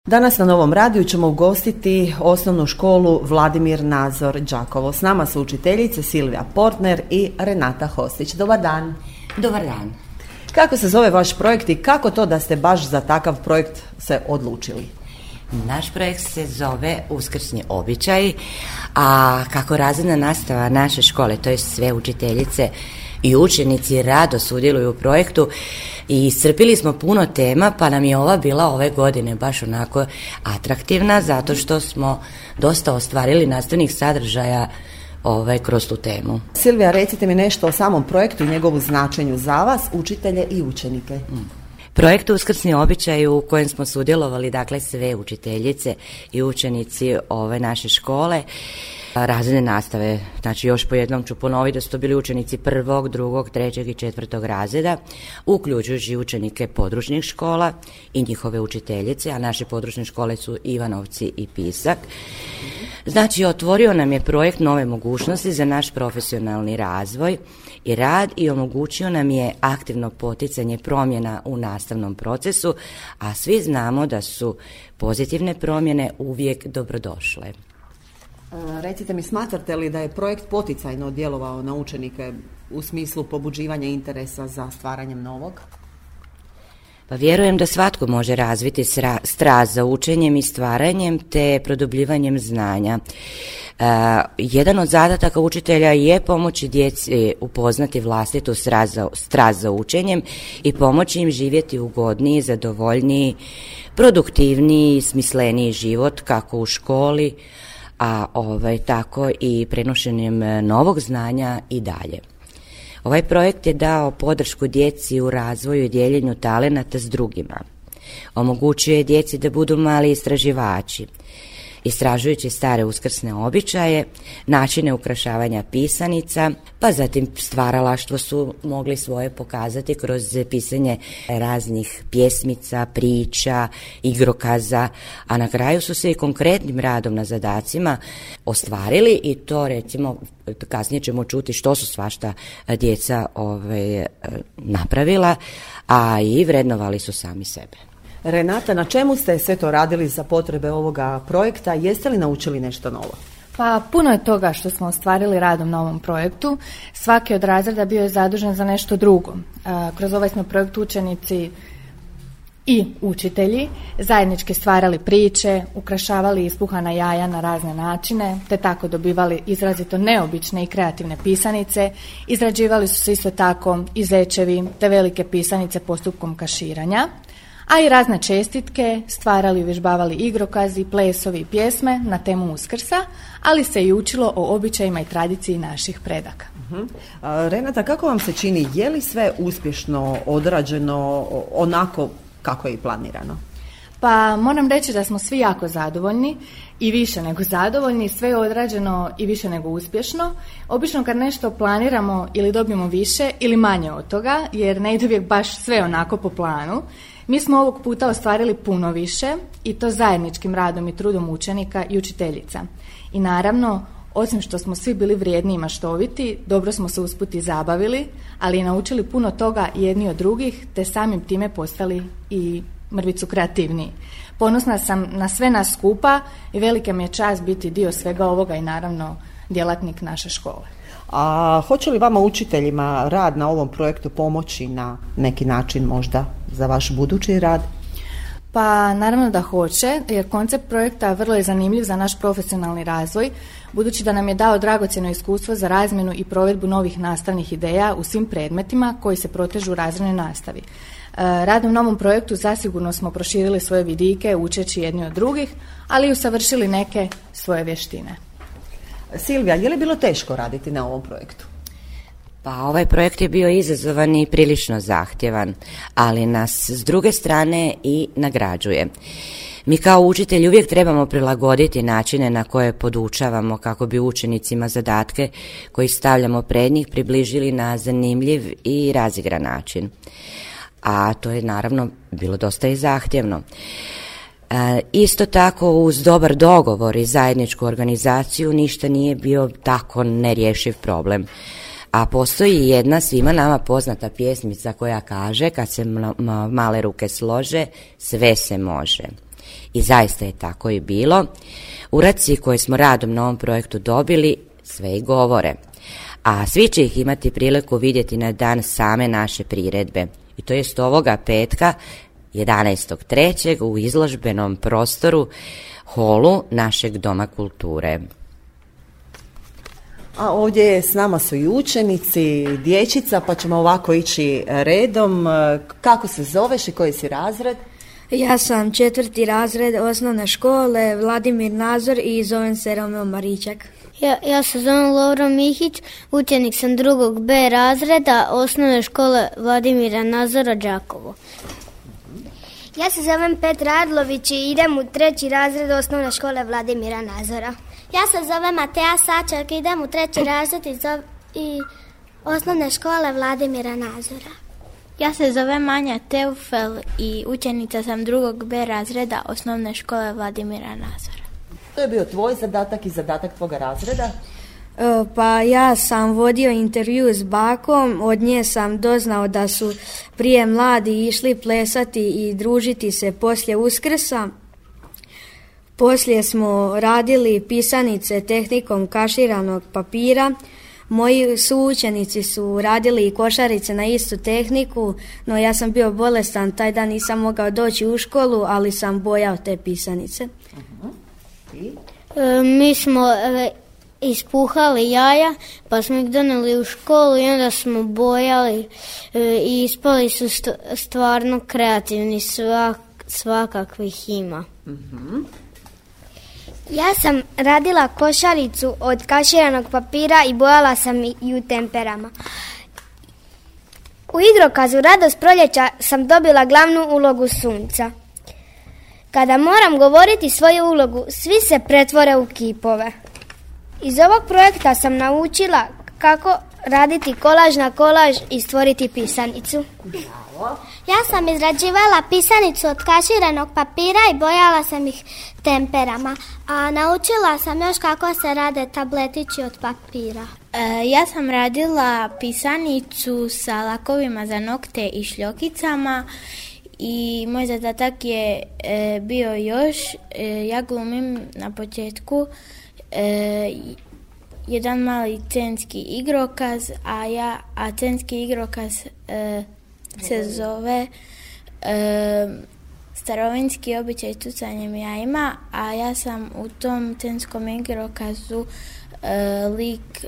Danas na Novom radiju ćemo ugostiti osnovnu školu Vladimir Nazor Đakovo. S nama su učiteljice Silvija Portner i Renata Hostić. Dobar dan. Dobar dan. Kako se zove vaš projekt i kako to da ste baš za takav projekt se odlučili? Naš projekt se zove Uskrsni običaj, a kako razredna nastava naše škole, to je sve učiteljice i učenici rado sudjeluju u projektu i iscrpili smo puno tema, pa nam je ova bila ove godine baš onako atraktivna zato što smo dosta ostvarili nastavnih sadržaja kroz tu temu. Silvija, recite mi nešto o samom projektu i njegovu značenju za vas, učitelje i učenike. Projekt Uskrsni običaj u kojem smo sudjelovali, dakle sve učiteljice i učenici ove naše škole, razredne nastave, znači još po jednom ću ponoviti da su to bili učenici 1., 2., 3. i 4. razreda, uključujući učenike područnih škola i njihove učiteljice, a naše područne škole su Ivanovci i Pisak. Znači, otvorio nam je projekt nove mogućnosti za naš profesionalni razvoj i rad i omogućio nam je aktivno poticanje promjena u nastavnom procesu, a svi znamo da su pozitivne promjene uvijek dobrodošle. Recite mi, smatrate li da je projekt poticajno djelovao na učenike u smislu pobuđivanja interesa za stvaranjem novog? Pa vjerujem da svatko može razviti strast za učenjem i stvaranjem te produbljivanjem znanja. Jedan od zadataka učitelja je pomoći djeci upoznati vlastitu strast za učenjem i pomoći im živjeti ugodniji, zadovoljniji, produktivniji, smisleniji život kako u školi, a tako i prenošenjem novog znanja i dalje. Ovaj projekt je dao podršku djeci u razvoju i dijeljenju talenata s drugima. Omogućuje djeci da budu mali istraživači, istražujući stare uskrsne običaje, načine ukrašavanja pisanica, pa zatim stvaralaštvo su mogli svoje pokazati kroz pisanje raznih pjesmica, priča, igrokaza, a na kraju su se i konkretnim radom na zadacima ostvarili i to recimo kasnije ćemo čuti što su svašta djeca napravila, a i vrednovali su sami sebe. Renata, na čemu ste sve to radili za potrebe ovoga projekta? Jeste li naučili nešto novo? Pa puno je toga što smo ostvarili radom na ovom projektu. Svaki od razreda bio je zadužen za nešto drugo. Kroz ovaj smo projekt učenici i učitelji zajednički stvarali priče, ukrašavali ispuhana jaja na razne načine, te tako dobivali izrazito neobične i kreativne pisanice. Izrađivali su se isto tako i zečevi te velike pisanice postupkom kaširanja, a i razne čestitke, stvarali i uvježbavali igrokazi, plesovi i pjesme na temu Uskrsa, ali se i učilo o običajima i tradiciji naših predaka. Renata, kako vam se čini, je li sve uspješno odrađeno onako kako je i planirano? Pa moram reći da smo svi jako zadovoljni i više nego zadovoljni, sve je odrađeno i više nego uspješno. Obično kad nešto planiramo ili dobijemo više ili manje od toga, jer ne ide uvijek baš sve onako po planu. Mi smo ovog puta ostvarili puno više i to zajedničkim radom i trudom učenika i učiteljica. I naravno, osim što smo svi bili vrijedni i maštoviti, dobro smo se usput i zabavili, ali i naučili puno toga jedni od drugih, te samim time postali i mrvicu kreativniji. Ponosna sam na sve nas skupa i velika mi je čast biti dio svega ovoga i naravno djelatnik naše škole. A hoće li vama učiteljima rad na ovom projektu pomoći na neki način možda za vaš budući rad? Pa naravno da hoće, jer koncept projekta vrlo je zanimljiv za naš profesionalni razvoj, budući da nam je dao dragocjeno iskustvo za razmjenu i provedbu novih nastavnih ideja u svim predmetima koji se protežu u razrednoj nastavi. Radom na ovom projektu zasigurno smo proširili svoje vidike učeći jedni od drugih, ali i usavršili neke svoje vještine. Silvija, je li bilo teško raditi na ovom projektu? Pa ovaj projekt je bio izazovan i prilično zahtjevan, ali nas s druge strane i nagrađuje. Mi kao učitelji uvijek trebamo prilagoditi načine na koje podučavamo kako bi učenicima zadatke koji stavljamo pred njih približili na zanimljiv i razigran način. A to je naravno bilo dosta i zahtjevno. Isto tako uz dobar dogovor i zajedničku organizaciju ništa nije bio tako nerješiv problem. A postoji jedna svima nama poznata pjesmica koja kaže kad se male ruke slože, sve se može. I zaista je tako i bilo. Uradci koje smo radom na ovom projektu dobili sve i govore, a svi će ih imati priliku vidjeti na dan same naše priredbe. I to jest ovoga petka, 11.3. u izložbenom prostoru holu našeg Doma kulture. A ovdje s nama su i učenici, dječica, pa ćemo ovako ići redom. Kako se zoveš i koji si razred? Ja sam 4. razred osnovne škole Vladimir Nazor i zovem se Romeo Maričak. Ja se zovem Lovro Mihić, učenik sam 2. B razreda osnovne škole Vladimira Nazora Đakovo. Ja se zovem Petra Adlović i idem u 3. razred osnovne škole Vladimira Nazora. Ja se zovem Mateja Sačak i idem u 3. razred i osnovne škole Vladimira Nazora. Ja se zovem Anja Teufel i učenica sam 2. B razreda osnovne škole Vladimira Nazora. To je bio tvoj zadatak i zadatak tvoga razreda? Pa ja sam vodio intervju s bakom, od nje sam doznao da su prije mladi išli plesati i družiti se poslije Uskrsa. Poslije smo radili pisanice tehnikom kaširanog papira. Moji suučenici su radili i košarice na istu tehniku, no ja sam bio bolestan, taj dan nisam mogao doći u školu, ali sam bojao te pisanice. Mi smo ispuhali jaja, pa smo ih donijeli u školu i onda smo bojali i ispali su stvarno kreativni, svakakvih ima. Ja sam radila košaricu od kaširanog papira i bojala sam i u temperama. U igrokazu Radost proljeća sam dobila glavnu ulogu sunca. Kada moram govoriti svoju ulogu, svi se pretvore u kipove. Iz ovog projekta sam naučila kako raditi kolaž na kolaž i stvoriti pisanicu. Ja sam izrađivala pisanicu od kaširanog papira i bojala sam ih temperama, a naučila sam još kako se rade tabletići od papira. Ja sam radila pisanicu sa lakovima za nokte i šljokicama i moj zadatak je bio još, ja glumim na početku jedan mali scenski igrokaz, a scenski igrokaz se zove Starovinski običaj tucanjem jajima, a ja sam u tom scenskom igrokazu lik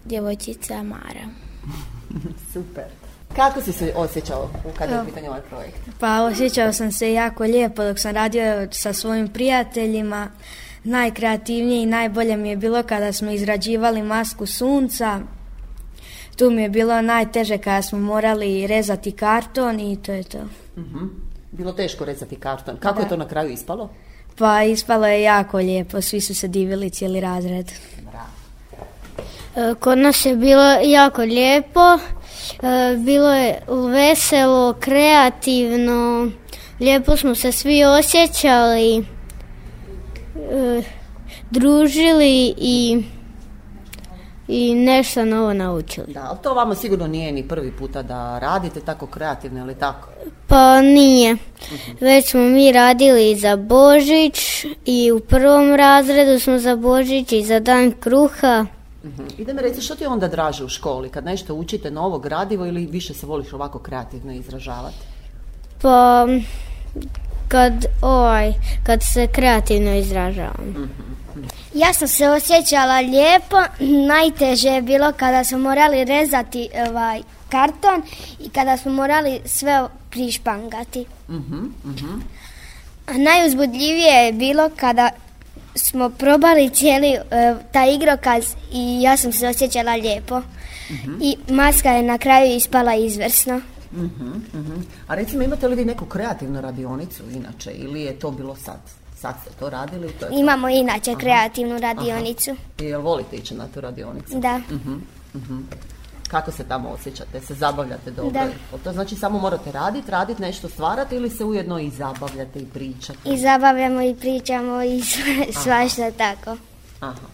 djevojčica Mara. Super. Kako si se osjećao kada je u pitanju ovaj projekt? Pa osjećao sam se jako lijepo dok sam radio sa svojim prijateljima. Najkreativnije i najbolje mi je bilo kada smo izrađivali masku sunca. Tu mi je bilo najteže kada smo morali rezati karton i to je to. Bilo teško rezati karton. Kako je to na kraju ispalo? Pa ispalo je jako lijepo, svi su se divili, cijeli razred. Kod nas je bilo jako lijepo, bilo je veselo, kreativno, lijepo smo se svi osjećali, družili i nešto novo naučili. Da, ali to vama sigurno nije ni prvi puta da radite tako kreativno, ili tako? Pa nije. Već smo mi radili za Božić i u 1. razredu smo za Božić i za Dan kruha. I da mi reci, što ti onda draže u školi? Kad nešto učite novo gradivo ili više se voliš ovako kreativno izražavati? Pa kad se kreativno izražavam. Ja sam se osjećala lijepo, najteže je bilo kada smo morali rezati karton i kada smo morali sve prišpangati. A najuzbudljivije je bilo kada smo probali cijeli taj igrokaz i ja sam se osjećala lijepo. I maska je na kraju ispala izvrsno. A recimo, imate li vi neku kreativnu radionicu inače ili je to bilo sad? Sad ste to radili? Imamo inače kreativnu radionicu. I jel volite ići na tu radionicu? Da. Kako se tamo osjećate? Se zabavljate dobro? Da. To znači samo morate raditi nešto stvarati ili se ujedno i zabavljate i pričate? I zabavljamo i pričamo i svašta tako. Aha.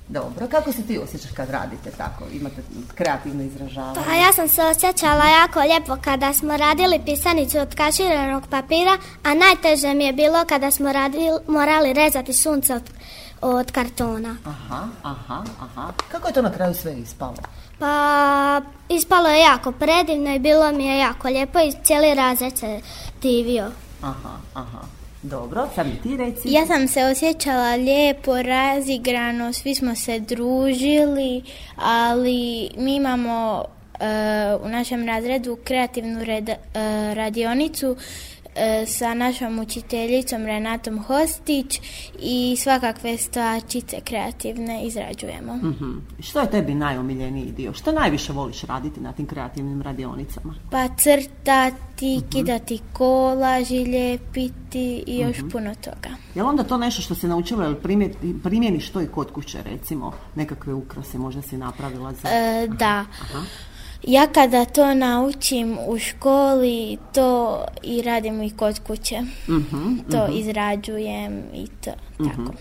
Dobro, kako se ti osjećaš kad radite tako, imate kreativno izražavanje? Pa ja sam se osjećala jako lijepo kada smo radili pisanicu od kaširanog papira, a najteže mi je bilo kada smo morali rezati sunce od kartona. Aha. Kako je to na kraju sve ispalo? Pa ispalo je jako predivno i bilo mi je jako lijepo i cijeli razred se divio. Aha. Dobro, sad mi ti reci. Ja sam se osjećala lijepo, razigrano, svi smo se družili, ali mi imamo u našem razredu kreativnu radionicu sa našom učiteljicom Renatom Hostić i svakakve stvarčice kreativne izrađujemo. Što je tebi najomiljeniji dio? Što najviše voliš raditi na tim kreativnim radionicama? Pa crtati, kidati kolaži, lijepiti i još puno toga. Je li onda to nešto što si naučila ili primjeniš to i kod kuće, recimo nekakve ukrase možda si napravila za... Da. Ja kada to naučim u školi, to i radim i kod kuće. To izrađujem i to tako.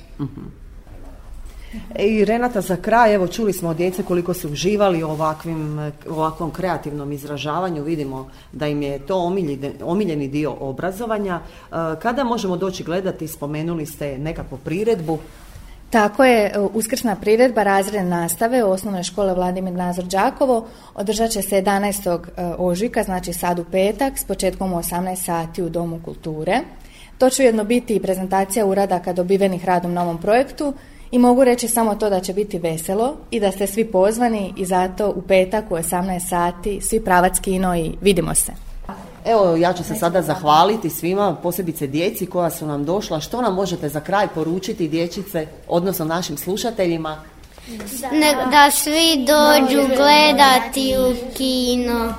I Renata, za kraj, evo čuli smo od djece koliko su uživali u ovakvom kreativnom izražavanju, vidimo da im je to omiljeni dio obrazovanja. Kada možemo doći gledati, spomenuli ste nekakvu priredbu? Tako je, uskrsna priredba razredne nastave u osnovnoj škole Vladimir Nazor Đakovo održat će se 11. ožujka, znači sad u petak, s početkom u 18 sati u Domu kulture. To će ujedno biti i prezentacija uradaka dobivenih radom na ovom projektu i mogu reći samo to da će biti veselo i da ste svi pozvani i zato u petak u 18 sati svi pravac kino i vidimo se. Evo, ja ću se sada zahvaliti svima, posebice djeci koja su nam došla. Što nam možete za kraj poručiti, dječice, odnosno našim slušateljima? Da svi dođu gledati u kino.